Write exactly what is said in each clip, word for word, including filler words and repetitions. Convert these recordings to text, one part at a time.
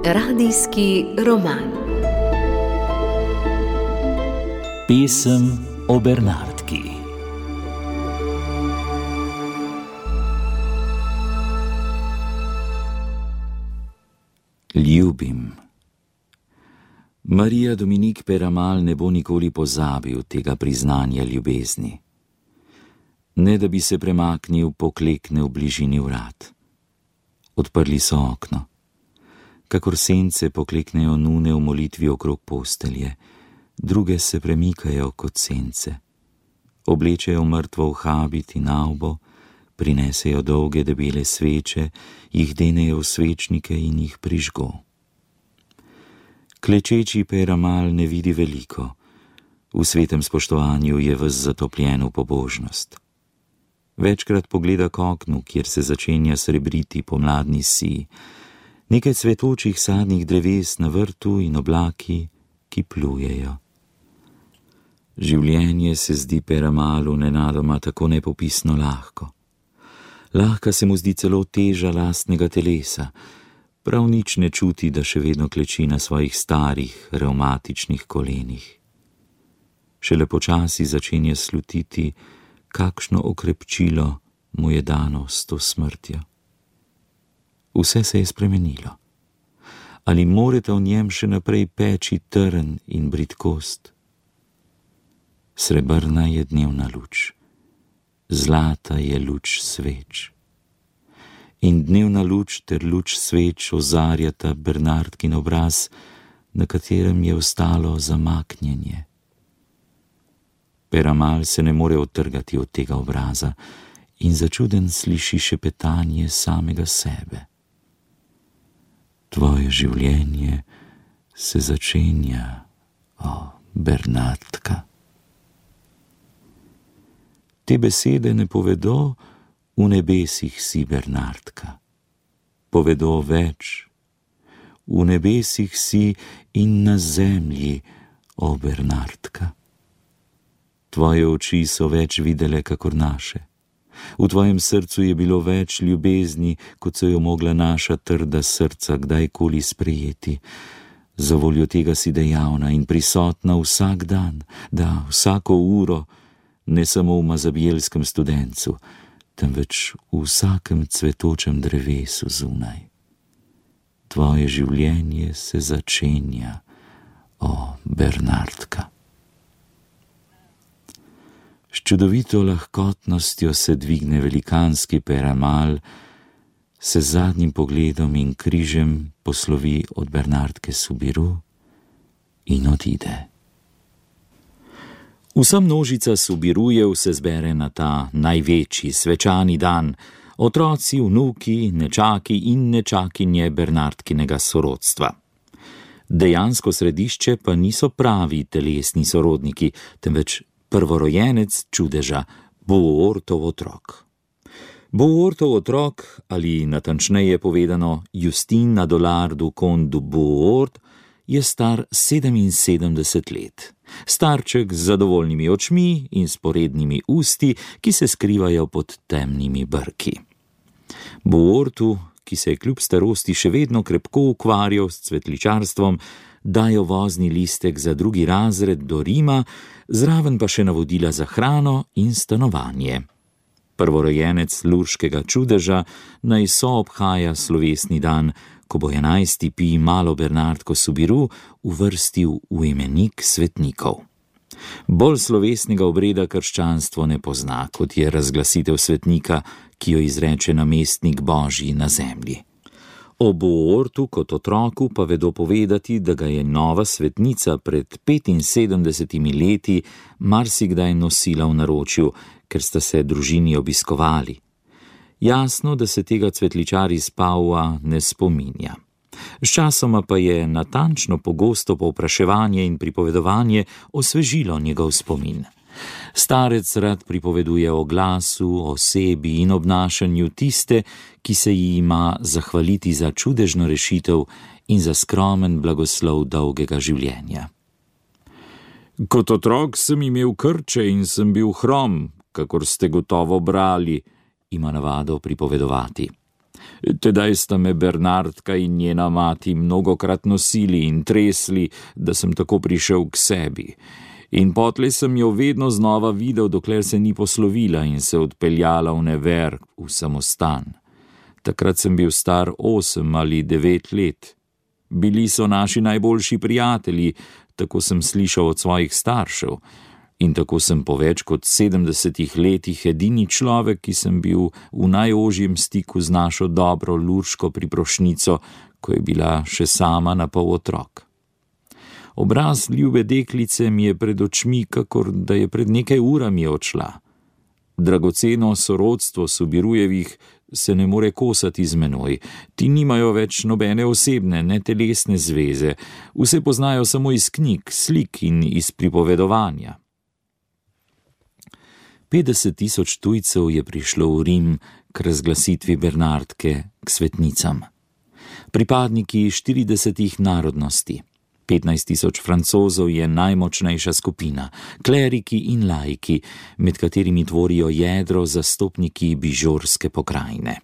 Radijski roman. Pesem o Bernardki. Ljubim. Marija Dominik Peyramal ne bo nikoli pozabil tega priznanja ljubezni. Ne da bi se premaknil, poklekne v bližini vrat. Odprli so okno. Kakor sence pokleknejo nune v molitvi okrog postelje, druge se premikajo kot sence. Oblečejo mrtvo v habit in avbo, prinesejo dolge debele sveče, jih denejo v svečnike in jih prižgo. Klečeči Peyramal ne vidi veliko. V svetem spoštovanju je ves zatopljen v pobožnost. Večkrat pogleda k oknu, kjer se začenja srebriti pomladni sij, nekaj cvetočih sadnih dreves na vrtu in oblaki, ki plujejo. Življenje se zdi Peyramalu nenadoma tako nepopisno lahko. Lahka se mu zdi celo teža lastnega telesa, prav nič ne čuti, da še vedno kleči na svojih starih, revmatičnih kolenih. Šele počasi začenja slutiti, kakšno okrepčilo mu je dano s to smrtjo. Vse se je spremenilo. Ali morete v njem še naprej peči trn in bridkost? Srebrna je dnevna luč, zlata je luč sveč. In dnevna luč ter luč sveč ozarjata Bernardkin obraz, na katerem je ostalo zamaknjenje. Peyramal se ne more odtrgati od tega obraza in začuden sliši šepetanje samega sebe. Tvoje življenje se začenja, o Bernardka. Te besede ne povedo v nebesih si, Bernardka. Povedo več. V nebesih si in na zemlji, o Bernardka. Tvoje oči so več videle kakor naše. V tvojem srcu je bilo več ljubezni, kot so jo mogla naša trda srca kdajkoli sprejeti. Za voljo tega si dejavna in prisotna vsak dan, da vsako uro, ne samo v mazabijelskem studencu, temveč v vsakem cvetočem drevesu zunaj. Tvoje življenje se začenja, o Bernardka. S čudovito lahkotnostjo se dvigne velikanski Peyramal, se z zadnjim pogledom in križem poslovi od Bernardke Soubirous in odide. Vsa množica Soubiroujev se zbere na ta največji svečani dan, otroci, vnuki, nečaki in nečakinje Bernardkinega sorodstva. Dejansko središče pa niso pravi telesni sorodniki, temveč prvorojenec čudeža, Bohuortov otrok. Bohuortov otrok, ali natančneje povedano Justin Adolar du Comte du Bohuort, je star sedeminsedemdeset let. Starček z zadovoljnimi očmi in sporednimi usti, ki se skrivajo pod temnimi brki. Bohuortu, ki se je kljub starosti še vedno krepko ukvarjal s cvetličarstvom, dajo vozni listek za drugi razred do Rima, zraven pa še navodila za hrano in stanovanje. Prvorojenec lurškega čudeža naj soobhaja slovesni dan, ko bo enajsti pi malo Bernardko Soubirous uvrstil v imenik svetnikov. Bolj slovesnega obreda krščanstvo ne pozna, kot je razglasitev svetnika, ki jo izreče namestnik Božji na zemlji. O Bohuortu kot otroku pa vedo povedati, da ga je nova svetnica pred petinsedemdesetimi leti marsikdaj nosila v naročju, ker sta se družini obiskovali. Jasno, da se tega cvetličar iz Paua ne spominja. Sčasoma pa je natančno pogosto povpraševanje in pripovedovanje osvežilo njegov spomin. Starec rad pripoveduje o glasu, osebi in obnašanju tiste, ki se ji ima zahvaliti za čudežno rešitev in za skromen blagoslov dolgega življenja. Kot otrok sem imel krče in sem bil hrom, kakor ste gotovo brali, ima navado pripovedovati. Tedaj sta me Bernardka in njena mati mnogokrat nosili in tresli, da sem tako prišel k sebi. In potlej sem jo vedno znova videl, dokler se ni poslovila in se odpeljala v never v samostan. Takrat sem bil star osem ali devet let. Bili so naši najboljši prijatelji, tako sem slišal od svojih staršev. In tako sem po več kot sedemdesetih letih edini človek, ki sem bil v najožjem stiku z našo dobro Lurško priprošnico, ko je bila še sama na pol otrok. Obraz ljube deklice mi je pred očmi, kakor da je pred nekaj urami odšla. Dragoceno sorodstvo Subirujevih se ne more kosati z menoj. Ti nimajo več nobene osebne, ne telesne zveze. Vse poznajo samo iz knjig, slik in iz pripovedovanja. petdeset tisoč tujcev je prišlo v Rim k razglasitvi Bernardke k svetnicam. Pripadniki štiridesetih narodnosti. petnajst tisoč Francozov je najmočnejša skupina, kleriki in laiki, med katerimi tvorijo jedro zastopniki bižorske pokrajine.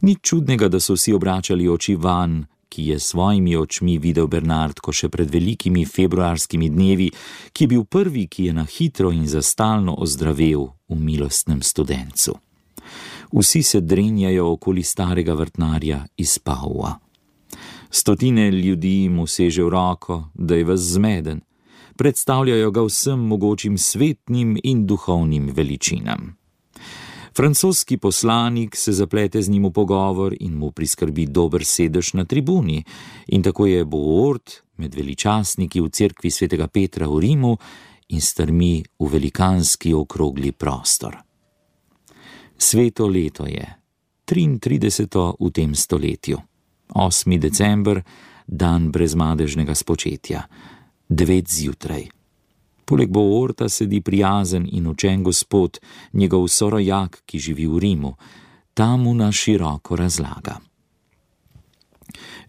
Nič čudnega, da so vsi obračali oči van, ki je svojimi očmi videl Bernardko še pred velikimi februarskimi dnevi, ki je bil prvi, ki je na hitro in za stalno ozdravel v milostnem Studencu. Vsi se drenjajo okoli starega vrtnarja iz Paua. Stotine ljudi mu seže v roko, da je ves zmeden. Predstavljajo ga vsem mogočim svetnim in duhovnim veličinam. Francoski poslanik se zaplete z njim v pogovor in mu priskrbi dober sedež na tribuni, in tako je Bohort med veličastniki v cerkvi svetega Petra v Rimu in strmi v velikanski okrogli prostor. Sveto leto je, triintrideseto v tem stoletju. osmi december, dan brezmadežnega spočetja, devet zjutraj. Poleg Bohorta sedi prijazen in učen gospod, njegov sorojak, ki živi v Rimu. Ta mu na široko razlaga.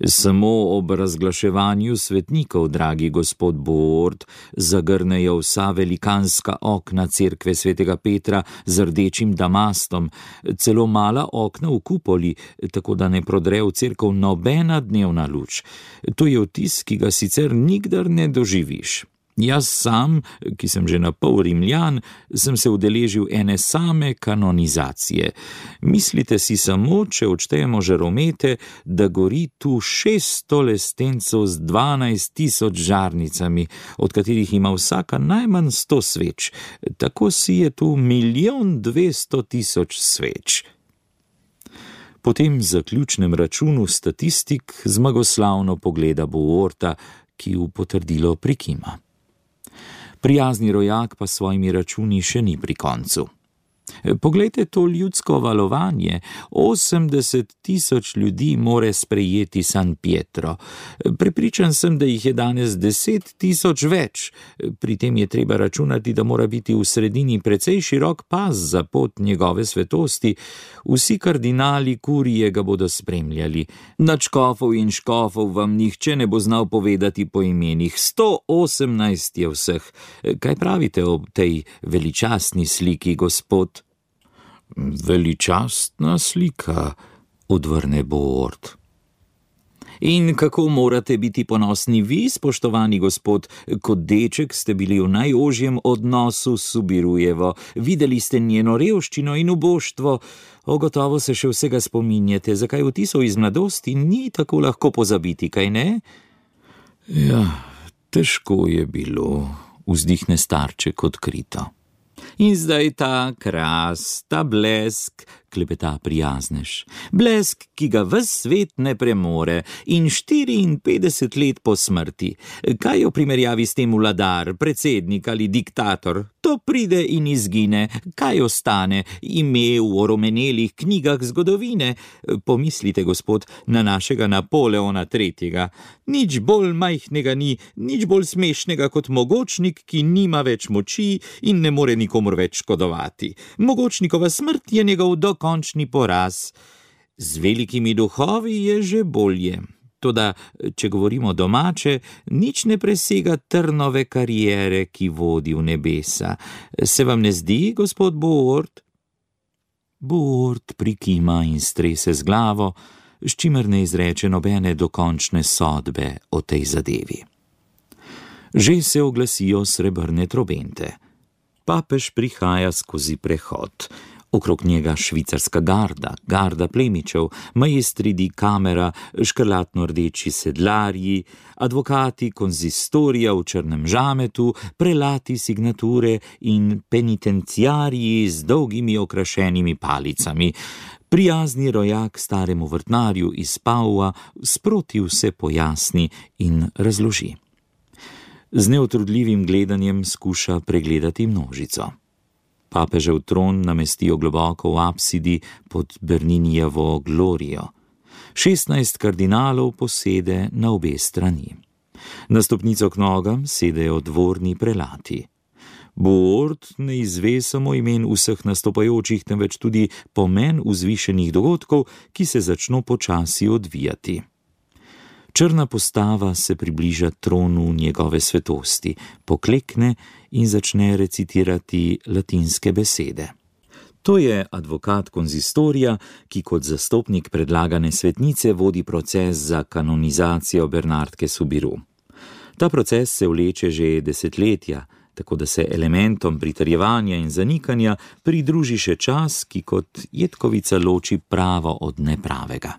Samo ob razglaševanju svetnikov, dragi gospod Bohort, zagrnejo vsa velikanska okna cerkve svetega Petra z rdečim damastom, celo mala okna v kupoli, tako da ne prodre v cerkev nobena dnevna luč. To je vtis, ki ga sicer nikdar ne doživiš. Jaz sam, ki sem že na pol Rimljan, sem se udeležil ene same kanonizacije. Mislite si samo, če odštejemo žaromete, da gori tu šeststo lestencev z dvanajst tisoč žarnicami, od katerih ima vsaka najmanj sto sveč. Tako si je tu milijon dvesto tisoč sveč. Po tem zaključnem računu statistik zmagoslavno pogleda Bohorta, ki v potrdilo prikima. Prijazni rojak pa svojimi računi še ni pri koncu. Poglejte to ljudsko valovanje, osemdeset tisoč ljudi more sprejeti San Pietro. Prepričan sem, da jih je danes deset tisoč več. Pri tem je treba računati, da mora biti v sredini precej širok pas za pot njegove svetosti. Vsi kardinali kurije ga bodo spremljali. Nad škofov in škofov vam nihče ne bo znal povedati po imenih. sto osemnajst je vseh. Kaj pravite o tej veličastni sliki, gospod? Veličastna slika, odvrne Bohort. In kako morate biti ponosni vi, spoštovani gospod, kot deček ste bili v najožjem odnosu s Subirujevo, videli ste njeno revščino in uboštvo, ogotovo se še vsega spominjate, zakaj vtisov iz mladosti ni tako lahko pozabiti, kaj ne? Ja, težko je bilo, vzdihne starček odkrito. In zdaj ta kras, ta blesk, klepeta prijaznež. Blesk, ki ga ves svet ne premore, in štiriinpetdeset let po smrti. Kaj o primerjavi s tem vladar, predsednik ali diktator? To pride in izgine. Kaj ostane? Ime v oromenelih knjigah zgodovine. Pomislite, gospod, na našega Napoleona tretjega. Nič bolj majhnega ni, nič bolj smešnega kot mogočnik, ki nima več moči in ne more nikomur več škodovati. Mogočnikova smrt je njegov dokončni poraz. Z velikimi duhovi je že bolje. Toda, če govorimo domače, nič ne presega Trnove kariere, ki vodi v nebesa. Se vam ne zdi, gospod Boord? Boord prikima in strese z glavo, s čimer ne izreče nobene dokončne sodbe o tej zadevi. Že se oglasijo srebrne trobente. Papež prihaja skozi prehod. Okrog njega švicarska garda, garda plemičev, maestri di kamera, škrlatno-rdeči sedlarji, advokati konzistorija v črnem žametu, prelati signature in penitenciarji z dolgimi okrašenimi palicami. Prijazni rojak staremu vrtnarju iz Paua sproti vse pojasni in razloži. Z neutrudljivim gledanjem skuša pregledati množico. Papežev tron namestijo globoko v apsidi pod Berninijevo glorijo. Šestnajst kardinalov posede na obe strani. Na stopnico k nogam sedejo dvorni prelati. Boord ne izve samo imen vseh nastopajočih, temveč tudi pomen vzvišenih dogodkov, ki se začno počasi odvijati. Črna postava se približa tronu njegove svetosti, poklekne in začne recitirati latinske besede. To je advokat konzistorija, ki kot zastopnik predlagane svetnice vodi proces za kanonizacijo Bernardke Soubirous. Ta proces se vleče že desetletja, tako da se elementom pritrjevanja in zanikanja pridruži še čas, ki kot jetkovica loči pravo od nepravega.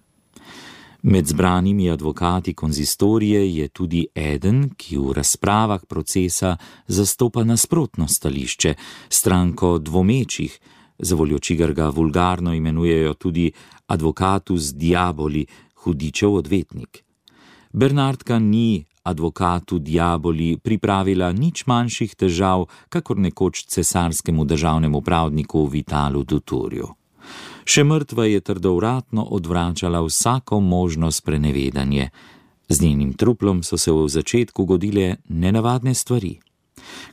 Med zbranimi advokati konzistorije je tudi eden, ki v razpravah procesa zastopa nasprotno stališče, stranko dvomečih, zavoljo čigar ga vulgarno imenujejo tudi advocatus diaboli, hudičev odvetnik. Bernardka ni advocatu diaboli pripravila nič manjših težav, kakor nekoč cesarskemu državnemu pravdniku Vitalu Duturju. Še mrtva je trdovratno odvračala vsako možno sprenevedanje. Z njenim truplom so se v začetku godile nenavadne stvari.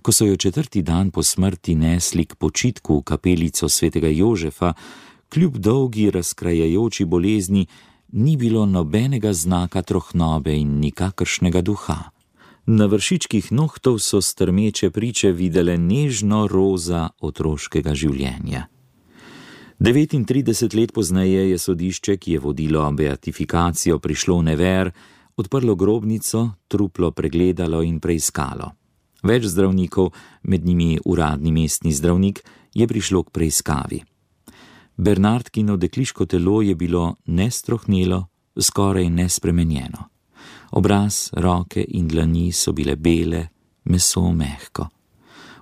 Ko so jo četrti dan po smrti nesli k počitku v kapelico svetega Jožefa, kljub dolgi razkrajajoči bolezni, ni bilo nobenega znaka trohnobe in nikakršnega duha. Na vršičkih nohtov so strmeče priče videle nežno roza otroškega življenja. devetintrideset let pozneje je sodišče, ki je vodilo beatifikacijo, prišlo v Nevers, odprlo grobnico, truplo pregledalo in preiskalo. Več zdravnikov, med njimi uradni mestni zdravnik, je prišlo k preiskavi. Bernardkino dekliško telo je bilo nestrohnelo, skoraj nespremenjeno. Obraz, roke in dlani so bile bele, meso mehko.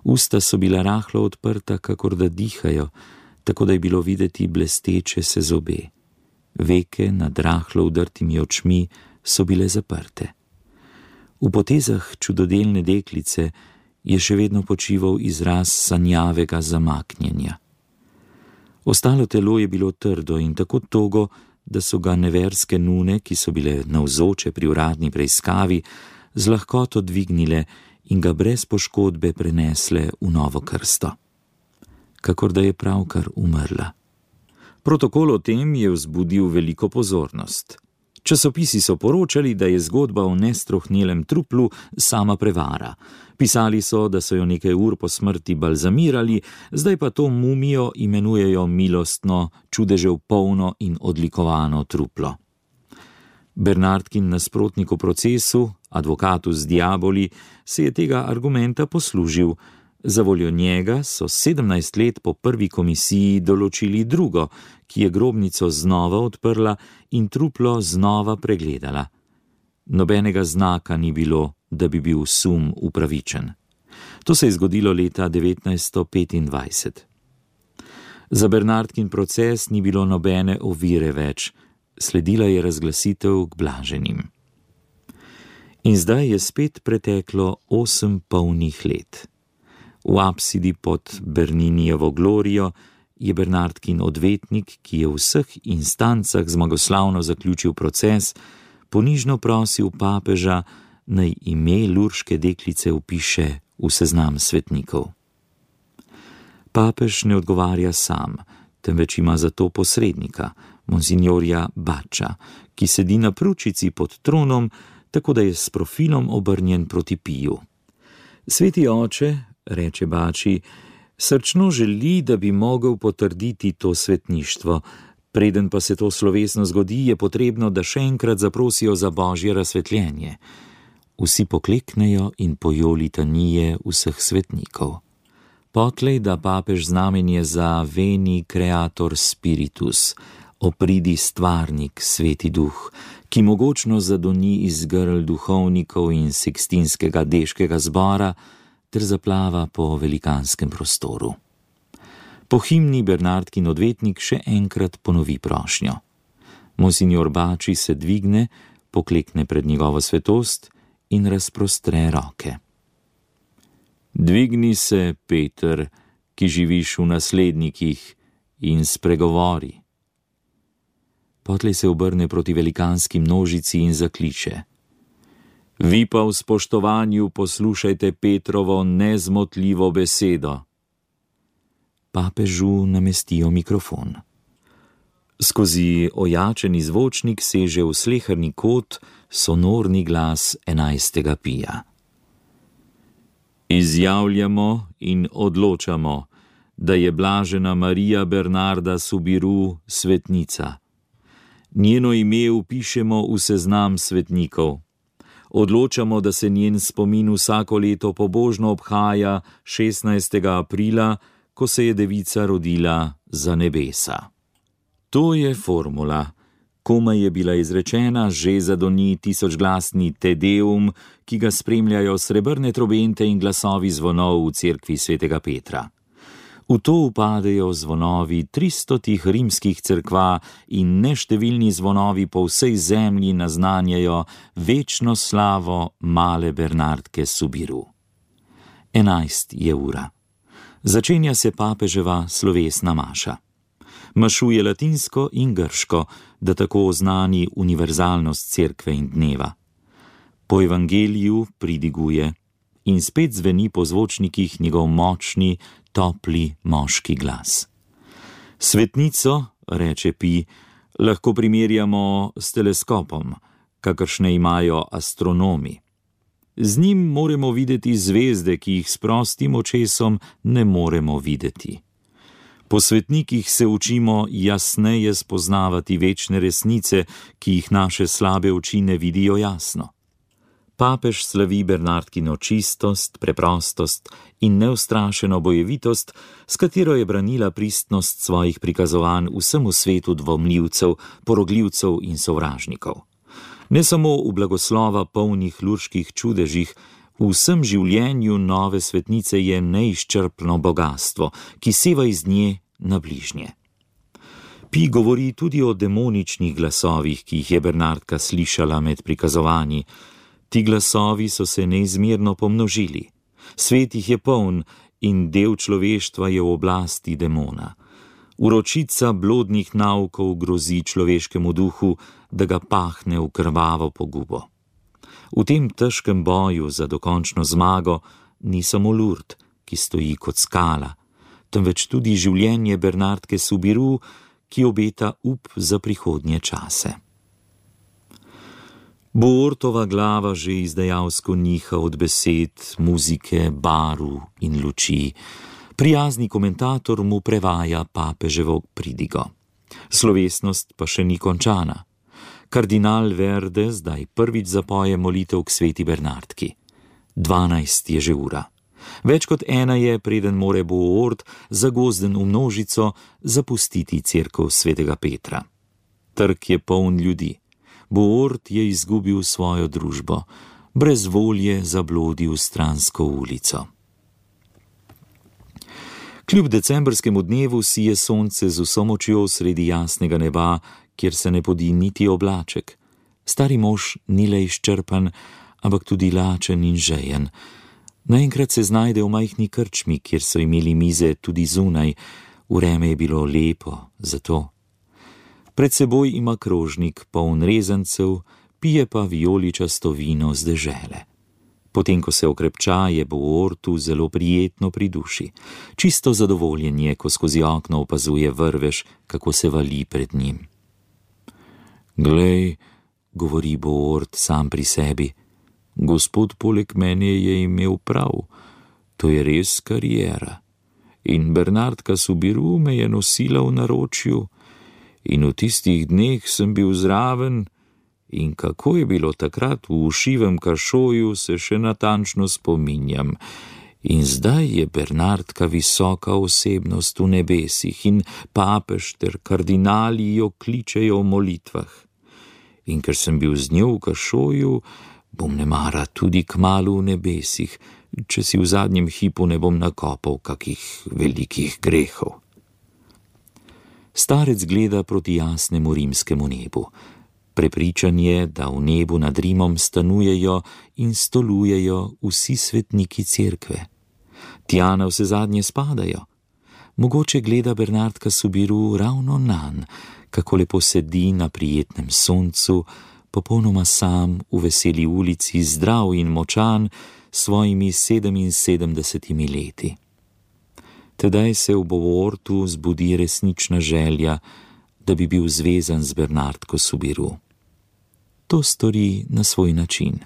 Usta so bila rahlo odprta, kakor da dihajo, tako da je bilo videti blesteče se zobe. Veke nad rahlo udrtimi očmi so bile zaprte. V potezah čudodelne deklice je še vedno počival izraz sanjavega zamaknjenja. Ostalo telo je bilo trdo in tako togo, da so ga neverske nune, ki so bile navzoče pri uradni preiskavi, z lahkoto dvignile in ga brez poškodbe prenesle v novo krsto. Kakor da je pravkar umrla. Protokol o tem je vzbudil veliko pozornost. Časopisi so poročali, da je zgodba o nestrohnelem truplu sama prevara. Pisali so, da so jo nekaj ur po smrti balzamirali, zdaj pa to mumijo imenujejo milostno, čudežev polno in odlikovano truplo. Bernardkin nasprotnik v procesu, advocatus diaboli, se je tega argumenta poslužil. Zavoljo njega so sedemnajst let po prvi komisiji določili drugo, ki je grobnico znova odprla in truplo znova pregledala. Nobenega znaka ni bilo, da bi bil sum upravičen. To se je zgodilo leta devetnajststo petindvajset. Za Bernardkin proces ni bilo nobene ovire več, sledila je razglasitev k blaženim. In zdaj je spet preteklo osem polnih let. V apsidi pod Berninijevo glorijo je Bernardkin odvetnik, ki je v vseh instancah zmagoslavno zaključil proces, ponižno prosil papeža, naj ime lurške deklice vpiše v seznam svetnikov. Papež ne odgovarja sam, temveč ima za to posrednika, monsinjorja Bača, ki sedi na pručici pod tronom, tako da je s profilom obrnjen proti Piju. Sveti oče, reče Bači, srčno želi, da bi mogel potrditi to svetništvo. Preden pa se to slovesno zgodi, je potrebno, da še enkrat zaprosijo za božje razsvetljenje. Vsi pokleknejo in pojo litanije vseh svetnikov. Potlej da papež znamenje za Veni Creator Spiritus, opridi stvarnik, sveti duh, ki mogočno zadoni iz grl duhovnikov in Sikstinskega deškega zbora ter zaplava po velikanskem prostoru. Po himni Bernardkin odvetnik še enkrat ponovi prošnjo. Monsinjor Bači se dvigne, poklekne pred njegovo svetost in razprostre roke. Dvigni se, Peter, ki živiš v naslednikih, in spregovori. Potlej se obrne proti velikanski množici in zakliče. Vi pa v spoštovanju poslušajte Petrovo nezmotljivo besedo. Papežu namestijo mikrofon. Skozi ojačeni zvočnik seže v sleherni kot sonorni glas enajstega Pija. Izjavljamo in odločamo, da je blažena Marija Bernarda Subiru svetnica. Njeno ime vpišemo v seznam svetnikov. Odločamo, da se njen spomin vsako leto pobožno obhaja šestnajstega aprila, ko se je devica rodila za nebesa. To je formula. Komaj je bila izrečena, že zadoni tisočglasni Te Deum, ki ga spremljajo srebrne trobente in glasovi zvonov v cerkvi svetega Petra. V to upadejo zvonovi tristotih rimskih cerkva in neštevilni zvonovi po vsej zemlji naznanjajo večno slavo male Bernardke Subiru. Enajst je ura. Začenja se papeževa slovesna maša. Mašuje latinsko in grško, da tako oznani univerzalnost cerkve in dneva. Po evangeliju pridiguje in spet zveni po zvočnikih njegov močni, topli moški glas. Svetnico, reče Pi, lahko primerjamo s teleskopom, kakršne imajo astronomi. Z njim moremo videti zvezde, ki jih s prostim očesom ne moremo videti. Po svetnikih se učimo jasneje spoznavati večne resnice, ki jih naše slabe oči ne vidijo jasno. Papež slavi Bernardkino čistost, preprostost in neustrašeno bojevitost, s katero je branila pristnost svojih prikazovanj vsemu svetu dvomljivcev, porogljivcev in sovražnikov. Ne samo v blagoslova polnih lurških čudežih, v vsem življenju nove svetnice je neizčrpno bogatstvo, ki seva iz nje na bližnje. Pi govori tudi o demoničnih glasovih, ki jih je Bernardka slišala med prikazovanji. Ti glasovi so se neizmerno pomnožili. Svet jih je poln in del človeštva je v oblasti demona. Uročica blodnih naukov grozi človeškemu duhu, da ga pahne v krvavo pogubo. V tem težkem boju za dokončno zmago ni samo Lurd, ki stoji kot skala, temveč tudi življenje Bernardke Subiru, ki obeta up za prihodnje čase. Boortova glava že izdajalsko niha od besed, muzike, baru in luči. Prijazni komentator mu prevaja papeževo pridigo. Slovesnost pa še ni končana. Kardinal Verde zdaj prvič zapoje molitev k sveti Bernardki. Dvanajst je že ura. Več kot ena je, preden more Boort, zagozden v množico, zapustiti cerkev svetega Petra. Trg je poln ljudi. Boort je izgubil svojo družbo, brez volje zablodi v stransko ulico. Kljub decembrskemu dnevu sije sonce z vso močjo sredi jasnega neba, kjer se ne podi niti oblaček. Stari mož ni le izčrpan, ampak tudi lačen in žejen. Naenkrat se znajde v majhni krčmi, kjer so imeli mize tudi zunaj. Vreme je bilo lepo, zato. Pred seboj ima krožnik poln rezancev, pije pa vijoličasto vino z dežele. Potem, ko se okrepča, je Boortu zelo prijetno pri duši. Čisto zadovoljen je, ko skozi okno opazuje vrvež, kako se vali pred njim. Glej, govori Boort sam pri sebi, gospod poleg mene je imel prav, to je res kariera. In Bernardka Subiru me je nosila v naročju in v tistih dneh sem bil zraven in kako je bilo takrat v ušivem kašoju, se še natančno spominjam. In zdaj je Bernardka visoka osebnost v nebesih in papež ter kardinali jo kličejo v molitvah. In ker sem bil z njo v kašoju, bom nemara tudi kmalu v nebesih, če si v zadnjem hipu ne bom nakopal kakih velikih grehov. Starec gleda proti jasnemu rimskemu nebu. Prepričan je, da v nebu nad Rimom stanujejo in stolujejo vsi svetniki cerkve. Tja na vse zadnje spadajo. Mogoče gleda Bernardka Subiru ravno nanj, kako lepo sedi na prijetnem soncu, popolnoma sam v veseli ulici, zdrav in močan, s svojimi sedeminsedemdesetimi leti. Tedaj se v Boortu zbudi resnična želja, da bi bil zvezan z Bernardko Subiru. To stori na svoj način.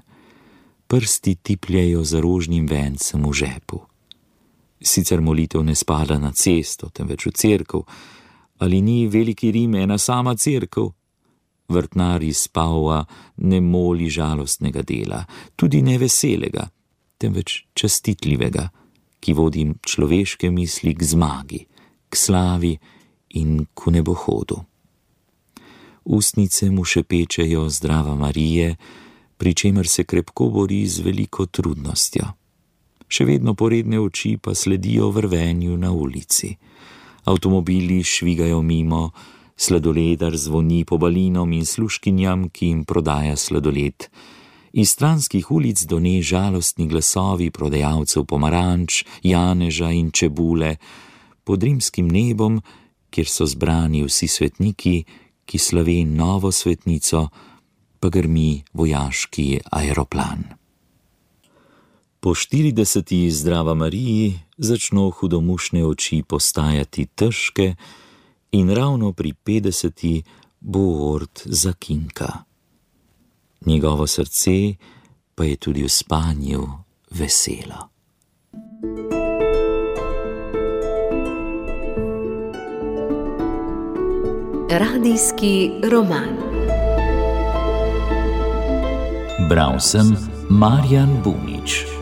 Prsti tipljajo za rožnim vencem v žepu. Sicer molitev ne spada na cesto, temveč v cerkev, ali ni veliki Rim ena sama cerkev? Vrtnar iz Paua ne moli žalostnega dela, tudi ne veselega, temveč častitljivega, ki vodi človeške misli k zmagi, k slavi in k nebohodu. Ustnice mu šepečejo Zdrava Marije, pri čemer se krepko bori z veliko trudnostjo. Še vedno poredne oči pa sledijo vrvenju na ulici. Avtomobili švigajo mimo, sladoledar zvoni po balinom in služkinjam, ki jim prodaja sladoled. Iz stranskih ulic done žalostni glasovi prodajalcev pomaranč, janeža in čebule, pod rimskim nebom, kjer so zbrani vsi svetniki, ki slave novo svetnico, pa grmi vojaški aeroplan. Po štirideseti Zdrava Mariji začno hudomušne oči postajati težke in ravno pri petdeseti Boort zakinka. Njegovo srce pa je tudi v spanju veselo. Radijski roman. Bral sem Marjan Bunič.